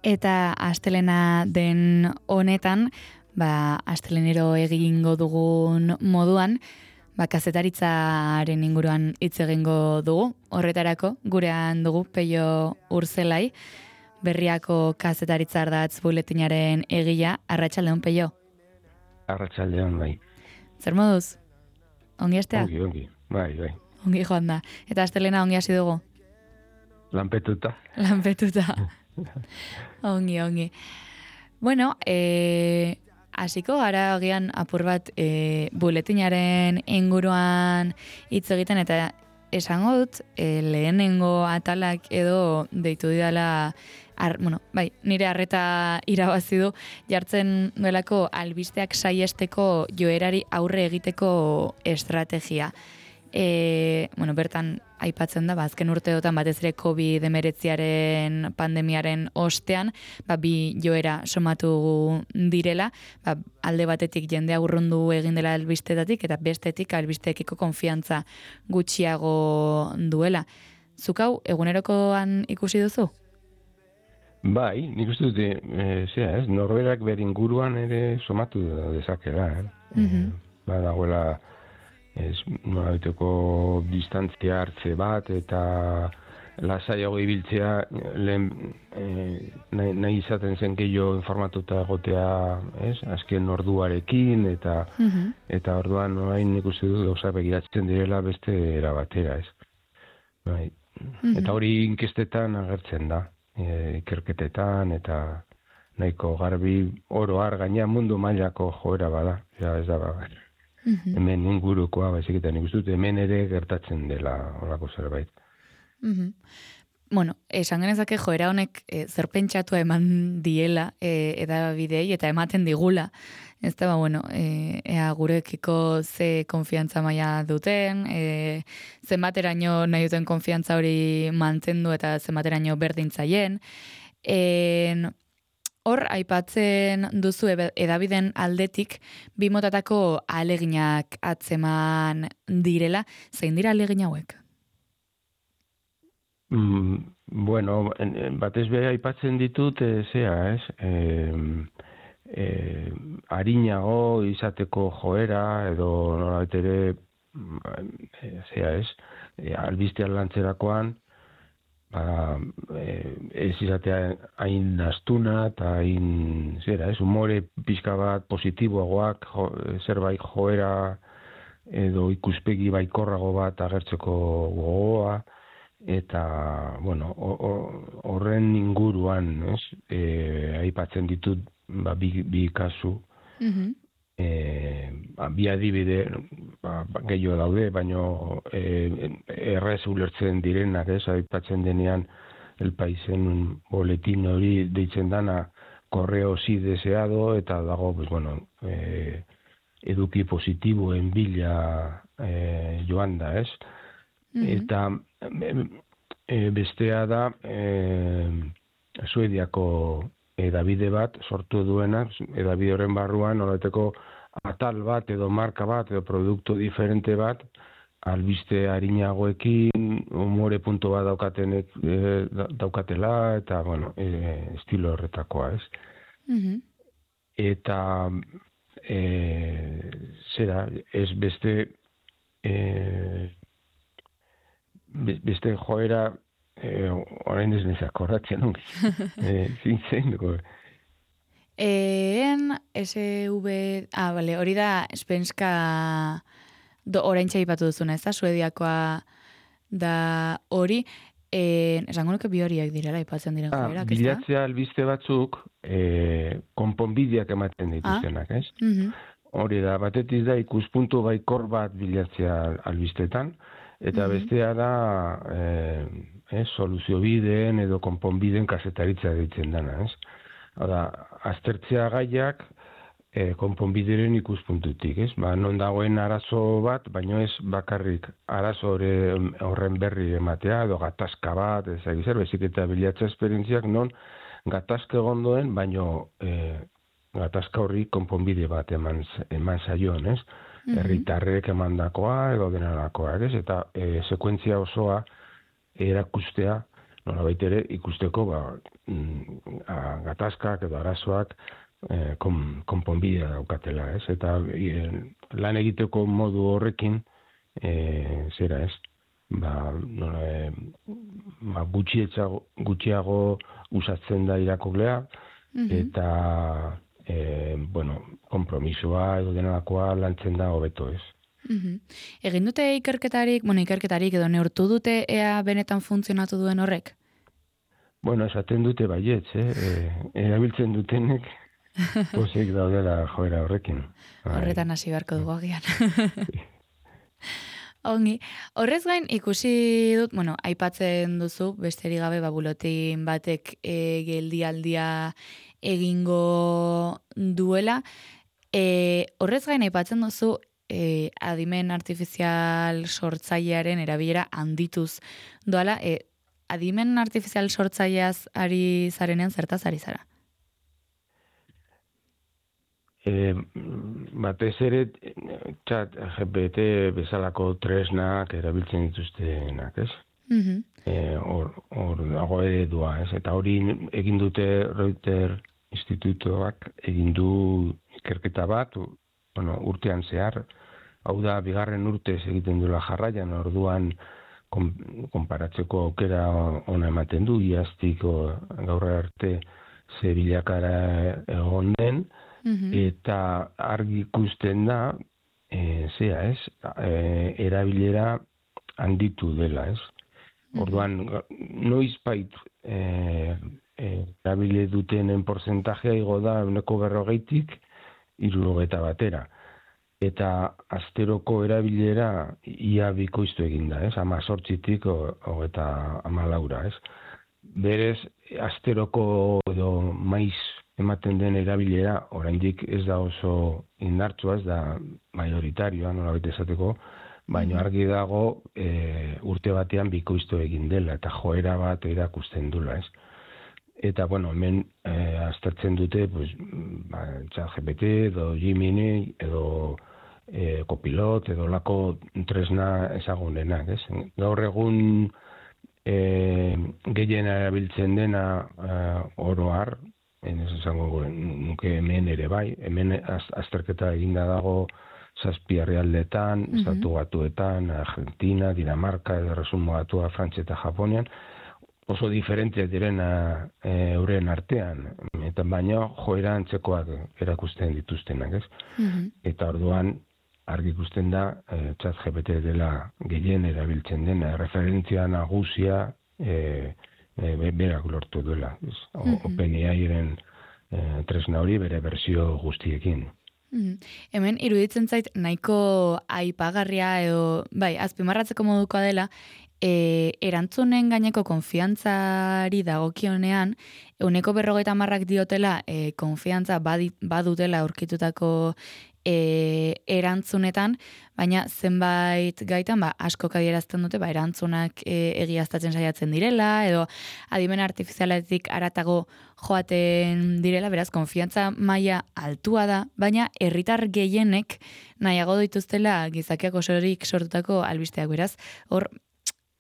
Eta astelena den honetan, astelenero egingo dugun moduan, kazetaritzaren inguruan hitz egingo dugu. Horretarako, gurean dugu Peio Urzelai, Berriako kazetaritza ardatz buletinaren egila. Arratsaldeon, Peio. Arratsaldeon, bai. Zer moduz? Ongi astea? Ongi. Bai. Ongi joan da. Eta astelena ongi hasi dugu? Lanpetuta. Ongi. Bueno, hasiko gara agian apur bat buletinaren inguruan hitz egiten, eta esango dut lehenengo atalak edo deitu didala, nire arreta irabazi du, jartzen duelako albisteak saiesteko joerari aurre egiteko estrategia. Bertan aipatzen da, azken urteotan batez ere COVID-19 pandemiaren ostean, bi joera somatu direla, alde batetik jendea urrundu egin dela albistetatik, eta bestetik albisteekiko konfiantza gutxiago duela. Zuk hau egunerokoan ikusi duzu? Bai, nik uste dut, norberak ber inguruan ere somatu dezakela. Dagoela nolabaiteko distantzia hartze bat, eta lasaiago ibiltzea nahi izaten zen gehiago informatuta egotea, azken orduarekin, eta orduan orain nik uste dut gauza begiratzen direla beste era batera, Bai. Eta hori inkestetan agertzen da, ikerketetan, eta nahiko garbi oro har gaina mundu mailako joera bada, ez da hemen ingurukoa, baizik eta nik uste dut hemen ere gertatzen dela horako zerbait. Esan genezake joera honek zer pentsatua eman diela edabidei eta ematen digula. Ez da, ea gurekiko ze konfiantza maila duten, zenbateraino nahi duten konfiantza hori mantendu eta zenbateraino berdintzaien. Hor, aipatzen duzu edabiden aldetik, bi motatako ahaleginak atzeman direla. Zein dira ahalegin hauek? Batez beha aipatzen ditut, arinago izateko joera, edo nolabait ere, albistean lantzerakoan, ez izatea hain astuna eta hain, humore pixka bat positiboagoak, zerbait joera edo ikuspegi baikorrago bat agertzeko gogoa, eta, horren inguruan, aipatzen ditut bi kasu, bi adibide gehiago daude, baino errez ulertzen direnak, aipatzen denean El Paisen boletin hori deitzen dana correo sí deseado, eta dago eduki positiboen bila joan da, eta bestea da Suediako edabide bat sortu duena, edabide horren barruan nolateko atal bat edo marka bat edo produktu diferente bat albiste arinagoekin humore punto bat daukatela, eta estilo horretakoa, eta ez beste joera orain ez nezak horratzen ongi. Zintzen dugu. Hori da Spenska orain txaipatu duzuna, ez da, Suediakoa da hori, esango nuke bi horiek direla, aipatzen diren joerak, ez da? Bilatzea albiste batzuk konponbideak ematen dituztenak, ez? Hori da, batetik da ikuspuntu baikor bat bilatzea albistetan, eta bestea da soluzio bideen edo konponbideen kazetaritza ditzen dana, ez? Hora, aztertzea gaiak konponbideren ikuspuntutik, ez? Non dagoen arazo bat, baino ez bakarrik arazo horren berri ematea, edo gatazka bat, bezik eta bilatza esperientziak non gatazka egondoen, baino gatazka horri konponbide bat eman zaion, ez? Herritarrek emandakoa edo denarakoa, ez? Eta sekuentzia osoa erakustea, nolabait ere ikusteko gatazkak edo arazoak konponbidea daukatela, ez? Eta lan egiteko modu horrekin, zera, ez? Gutxiago usatzen da irakurlea, eta konpromisoa edo denalakoa lantzen da hobeto, ez? Egin dute ikerketarik edo neurtu dute ea benetan funtzionatu duen horrek? Esaten dute baietz, erabiltzen dutenek pozik daudela joera horrekin. Horretan hasi beharko dugu agian. Ongi, horrez gain ikusi dut, aipatzen duzu, besterik gabe buletin batek geldialdia egingo duela. Horrez gain aipatzen duzu, adimen artifizial sortzailearen erabilera handituz doala, adimen artifizial sortzaileaz ari zarenean zertaz ari zara? Batez ere chat GPT bezalako tresnak erabiltzen dituztenak, ez? Hor dago eredua, ez? Eta hori egin dute Reuters institutoak egin du ikerketa bat, urtean zehar, hau da, bigarren urtez egiten duela jarraian, orduan konparatzeko aukera ona ematen du, iaztik gaur arte ze bilakara egon den, eta argi ikusten da, erabilera handitu dela, ez? Orduan, noizbait erabile dutenen porzentajea igo da 40-tik 60 batera. Eta asteroko erabilera ia bikoiztu egin da, ez? 18-tik 34, ez? Berez, asteroko edo maiz ematen den erabilera, oraindik ez da oso indartsua, ez da majoritarioa, nolabait esateko, baina argi dago urte batean bikoiztu egin dela, eta joera bat erakusten dula, ez? Eta, hemen aztertzen dute, ChatGPT edo Gemini edo Copilot edo lako tresna ezagunenak, ez? Gaur egun gehien erabiltzen dena oro har, ez esango nuke hemen ere bai, hemen azterketa eginda dago 7 herrialdetan, Estatu Batuetan, Argentina, Dinamarka, Erresuma Batua, Frantzia eta Japonian, oso diferenteak direna euren artean, eta baina joera antzekoak erakusten dituztenak, ez? Eta orduan argi ikusten da ChatGPT dela gehien erabiltzen dena, referentzia nagusia berak lortu duela. OpenAI-ren tresna hori bere berzio guztiekin. Hemen iruditzen zait nahiko aipagarria edo, azpimarratzeko modukoa dela, erantzunen gaineko konfiantzari dagokionean, 40% diotela konfiantza badutela aurkitutako erantzunetan, baina zenbait gaitan asko adierazten dute erantzunak egiaztatzen saiatzen direla, edo adimen artifizialetik haratago joaten direla, beraz, konfiantza maila altua da, baina herritar gehienek nahiago dituztela gizakiak osorik sortutako albisteak, beraz, hor,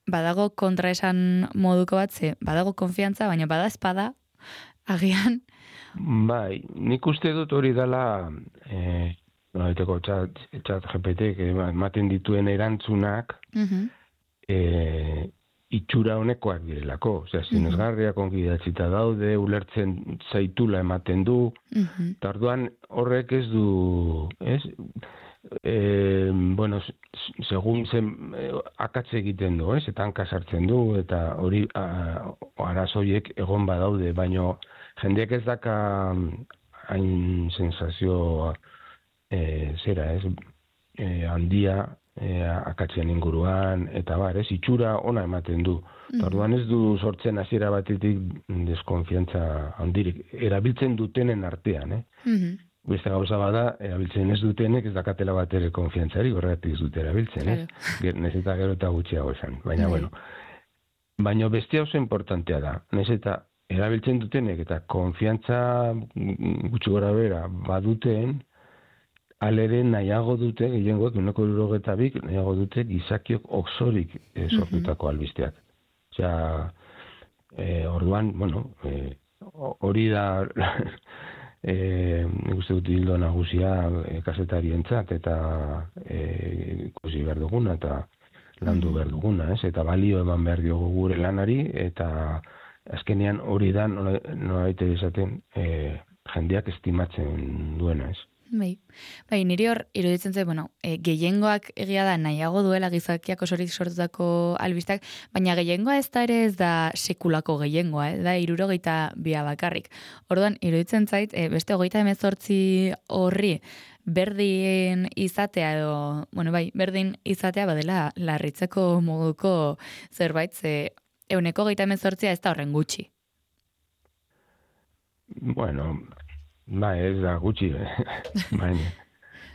badago kontraesan moduko bat, badago konfiantza, baina bada espada, agian. Bai, nik uste dut hori dela chat GPT ematen dituen erantzunak itxura honekoak direlako. Osea, sinesgarriak ongi idatzita daude, ulertzen zaitula ematen du, eta orduan horrek ez du, ez? Segun zen akatze egiten du, ez? Eta hanka sartzen du, eta hori arazoiek egon badaude, baino jendeak ez daka hain sensazio handia akatzen inguruan, eta ez, itxura ona ematen du. Orduan ez du sortzen hasiera batetik deskonfiantza handirik, erabiltzen dutenen artean, Beste gauza bada, erabiltzen ez dutenek ez dakatela bat ere konfiantzari, horregatik ez dute erabiltzen, Nez eta gero eta gutxiago esan. Baina, baina beste oso importantea da. Nez eta erabiltzen dutenek eta konfiantza gutxi gora bera baduten, alere nahiago dute, gehiengoak, 92, nahiago dute gizakiok osorik sortutako albisteak. Osea, Orduan, bueno, hori da nik uste dut hildo nagusia kazetarientzat eta ikusi behar duguna eta landu behar duguna, ez? Eta balio eman behar diogu gure lanari eta azkenean hori da nolabait esaten jendeak estimatzen duena, ez? Bai, niri hor iruditzen zait, gehiengoak egia da nahiago duela gizakiak osorik sortutako albistak, baina gehiengoa ez da ere ez da sekulako gehiengoa, da 62 bakarrik. Orduan, iruditzen zait, beste 38 horri berdin izatea edo, berdin izatea badela larritzeko moduko zerbait, ze 138 ez da horren gutxi. Bueno, ez da gutxi,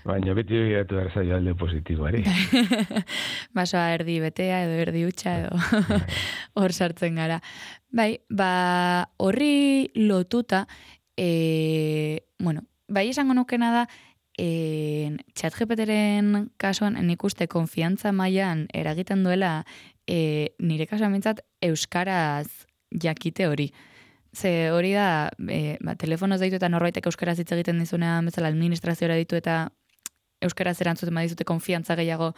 baina beti begiratu behar zaio alde positiboari. Basoa erdi betea edo erdi hutsa edo hor sartzen gara. Bai, horri lotuta, bai esango nukena da, ChatGPTren kasuan nik uste konfiantza mailan eragiten duela nire kasuan mintzat euskaraz jakite hori. Ze hori da, telefonoz deitu eta norbaitek euskaraz hitz egiten dizunean bezala administrazioa ditu eta euskaraz erantzuten badizute konfiantza gehiago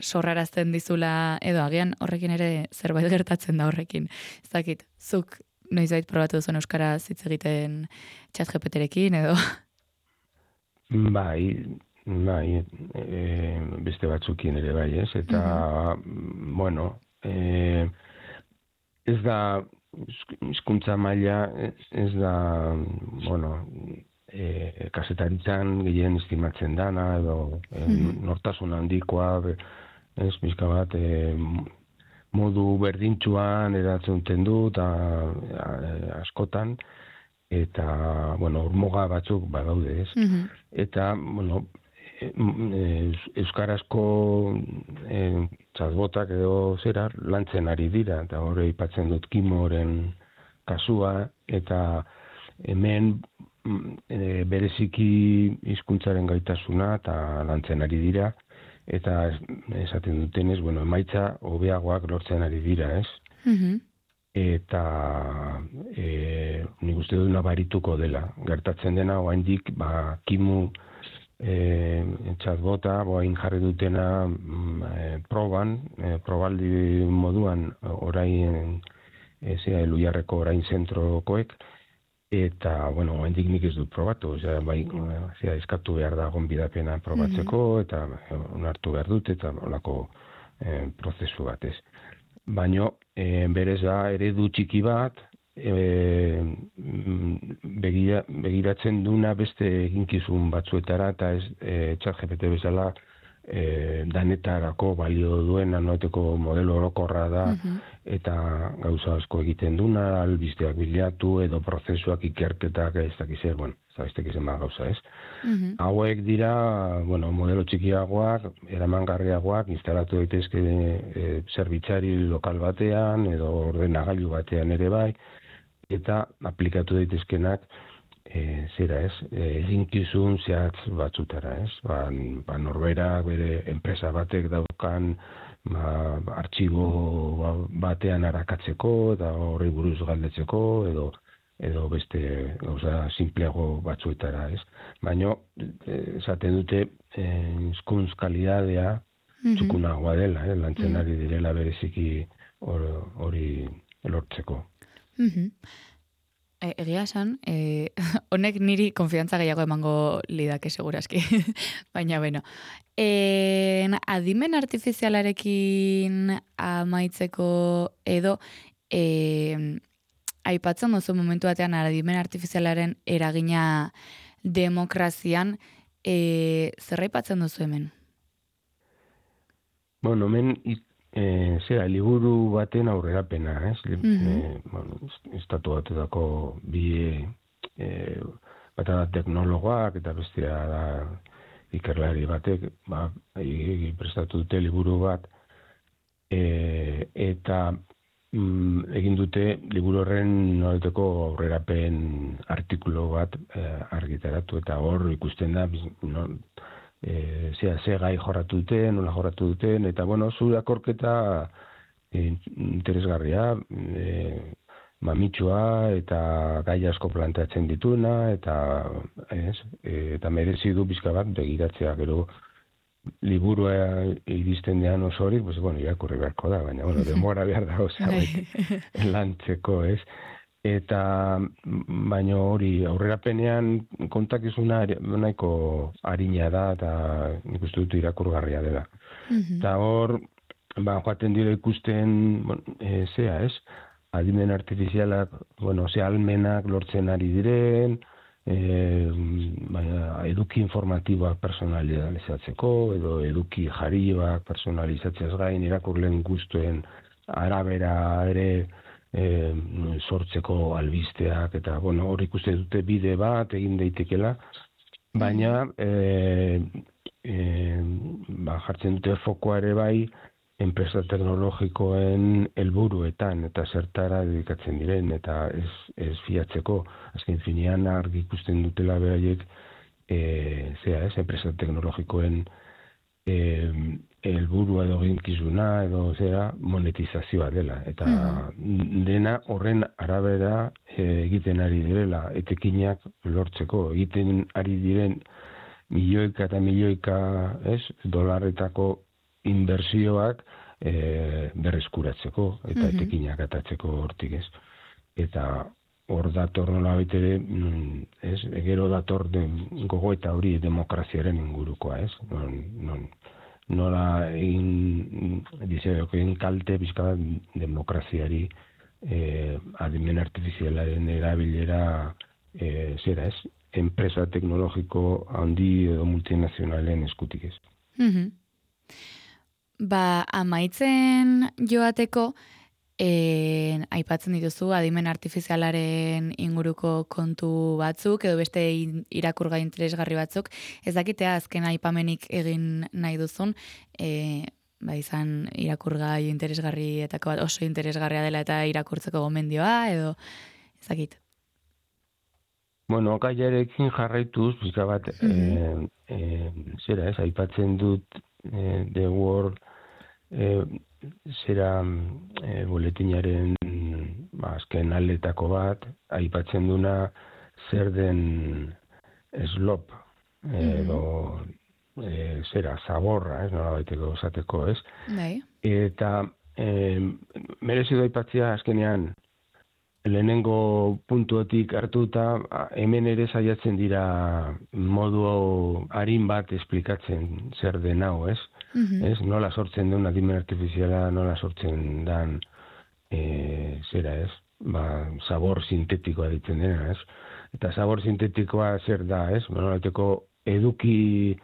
sorrarazten dizula edo agian horrekin ere zerbait gertatzen da horrekin. Ez dakit, zuk noizbait probatu duzun euskaraz hitz egiten ChatGPTrekin edo? Bai, beste batzukin ere bai, ez? Eta, ez da hizkuntza maila ez da, kazetaritzan gehien estimatzen dana, edo nortasun handikoa, ez, pixka bat, modu berdintxuan eratzen du, eta askotan, eta, urmoga batzuk badaude, ez. Eta, euskarazko txatbotak edo zera lantzen ari dira, eta hori aipatzen dut Kimoren kasua, eta hemen bereziki hizkuntzaren gaitasuna eta lantzen ari dira, eta esaten dutenez, emaitza hobeagoak lortzen ari dira, ez? Eta nik uste dut nabarituko dela. Gertatzen dena, oraindik Kimu chatbota, boain jarri dutena probaldi moduan orain Eluiarreko orain zentrokoek, eta, oraindik nik ez dut probatu, eskatu behar da gonbidapena probatzeko, eta onartu behar dut, eta olako prozesu bat ez. Baina, berez da, eredu txiki bat, begiratzen duna beste eginkizun batzuetara, eta ez ChatGPT bezala danetarako balio duena, noeteko modelo orokorra da, eta gauza asko egiten duna, albisteak bilatu, edo prozesuak ikerketak ez dakiz gauza ez. Hauek dira, modelo txikiagoak, eramangarriagoak, instalatu daitezke zerbitzari lokal batean, edo ordenagailu batean ere bai, eta aplikatu daitezkenak eginkizun zehatz batzutara, ez? Norberak bere enpresa batek daukan artxibo batean arakatzeko, eta horri buruz galdetzeko, edo beste gauza simpleago batzuetara, ez? Baina, esaten dute, hizkuntz kalidadea txukunagoa dela, lantzen ari direla bereziki hori lortzeko. Egia esan, honek niri konfiantza gehiago emango lidake segurazki, baina adimen artifizialarekin amaitzeko edo aipatzen duzu momentu batean adimen artifizialaren eragina demokrazian, zer aipatzen duzu hemen? Hemen liburu baten aurrerapena, ez? Estatu batutako bi bata da teknologoak eta bestea da ikerlari batek prestatu dute liburu bat eta egin dute liburu horren noreteko aurrerapen artikulu bat argitaratu eta hor ikusten da ze gai jorratu duten, nola jorratu duten, eta zure akorketa interesgarria, mamitsua eta gai asko planteatzen dituna, eta merezi du pixka bat begiratzea, gero liburua iristen dean osorik, pues, bueno, irakurri beharko da, baina, bueno, denbora behar da lantzeko, ez? Eta, baina hori, aurrerapenean kontakizuna nahiko harina da, eta nik uste dut irakurgarria dela. Eta hor, joaten dira ikusten, zea, ez? Adimen artifizialak, almenak lortzen ari diren, eduki informatiboak personalizatzeko, edo eduki jarioak personalizatzeaz gain, irakurleen gustuen arabera ere sortzeko albisteak, eta hor ikuste dute bide bat egin daitekela, baina jartzen dute fokoa ere bai, enpresa teknologikoen helburuetan eta zertara dedikatzen diren, eta ez fiatzeko, azken finean argi ikusten dutela beraiek, enpresa teknologikoen helburua edo eginkizuna edo monetizazioa dela, eta dena horren arabera egiten ari direla, etekinak lortzeko, egiten ari diren milioika eta milioika dolarretako inbertsioak berreskuratzeko eta etekinak atatzeko hortik, ez. Eta hor dator nola baitere, gero dator gogoeta hori demokraziaren ingurukoa, ez. Nola egin kalte bizka demokraziari adimen artifizialaren erabilera enpresa teknologiko handi edo multinazionalen eskutik, ez. Amaitzen joateko, aipatzen dituzu adimen artifizialaren inguruko kontu batzuk, edo beste irakurgai interesgarri batzuk, ez dakitea azken aipamenik egin nahi duzun, izan irakurgai interesgarrietako bat oso interesgarria dela eta irakurtzeko gomendioa, edo ez dakit. Gaiarekin jarraituz, pixka bat, aipatzen dut The World boletinaren azken aletako bat, aipatzen duna zer den slop, edo zaborra, nola baiteko esateko, ez? Eta merezi du aipatzea azkenean lehenengo puntuetik hartuta, hemen ere saiatzen dira modu arin bat esplikatzen zer den hau, ez? Nola sortzen den adimen artifiziala, nola sortzen den zabor sintetikoa ditzen dena, ez? Eta zabor sintetikoa zer da, ez? Eduki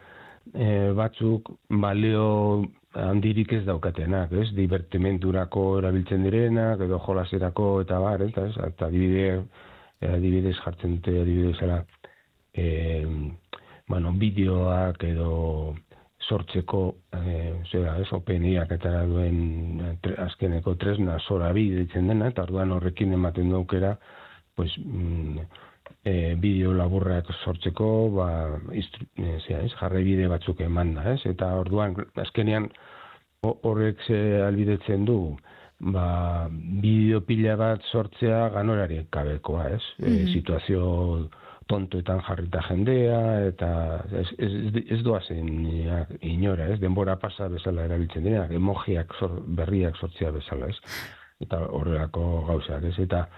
batzuk balio handirik ez daukatenak, ez? Divertimendurako erabiltzen direnak, edo jolaserako eta bar, eta adibidez jartzen dute, adibidezala, bideoak edo sortzeko, OpenAIak eta duen azkeneko tresna Sorabi ditzen dena, eta orduan horrekin ematen daukera, bideo laburrak sortzeko, jarraibide batzuk eman da, ez? Eta orduan, azkenean, horrek albidetzen du, bideo pila bat sortzea ganorari gabekoa, ez? Situazio tontoetan jarrita jendea, eta ez doazen inora, ez? Denbora pasa bezala erabiltzen dira, emojiak berriak sortzea bezala, ez? Eta horrelako gauzak, ez? Eta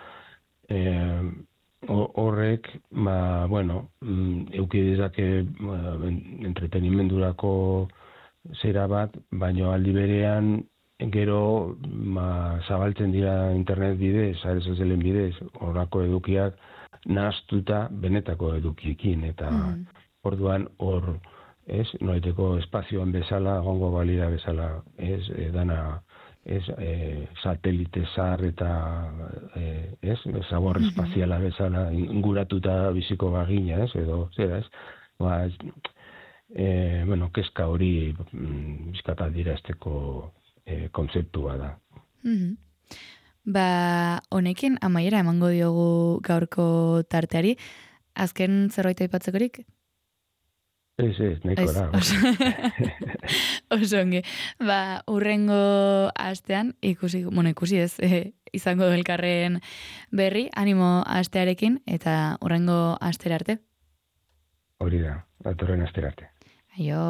horrek, euki dezake entretenimendurako zera bat, baino aldi berean gero zabaltzen dira internet bidez, sare sozialen bidez, horrako edukiak nahaztuta benetako edukiekin, eta orduan hor, ez, nolaiteko espazioan bezala, gongo balira bezala, ez, dana, ez, satelite zar eta, ez, zabor espaziala bezala, inguratuta biziko bagina, ez, edo, zera, ez, kezka hori bizkata dirazteko kontzeptua da. Honekin amaiera emango diogu gaurko tarteari, azken zerbait aipatzekorik? Ez, nahiko da. Oso ongi. Urrengo astean, ikusi ez, izango elkarren berri, animo astearekin, eta urrengo astera arte. Hori da, datorren astera arte. Aio.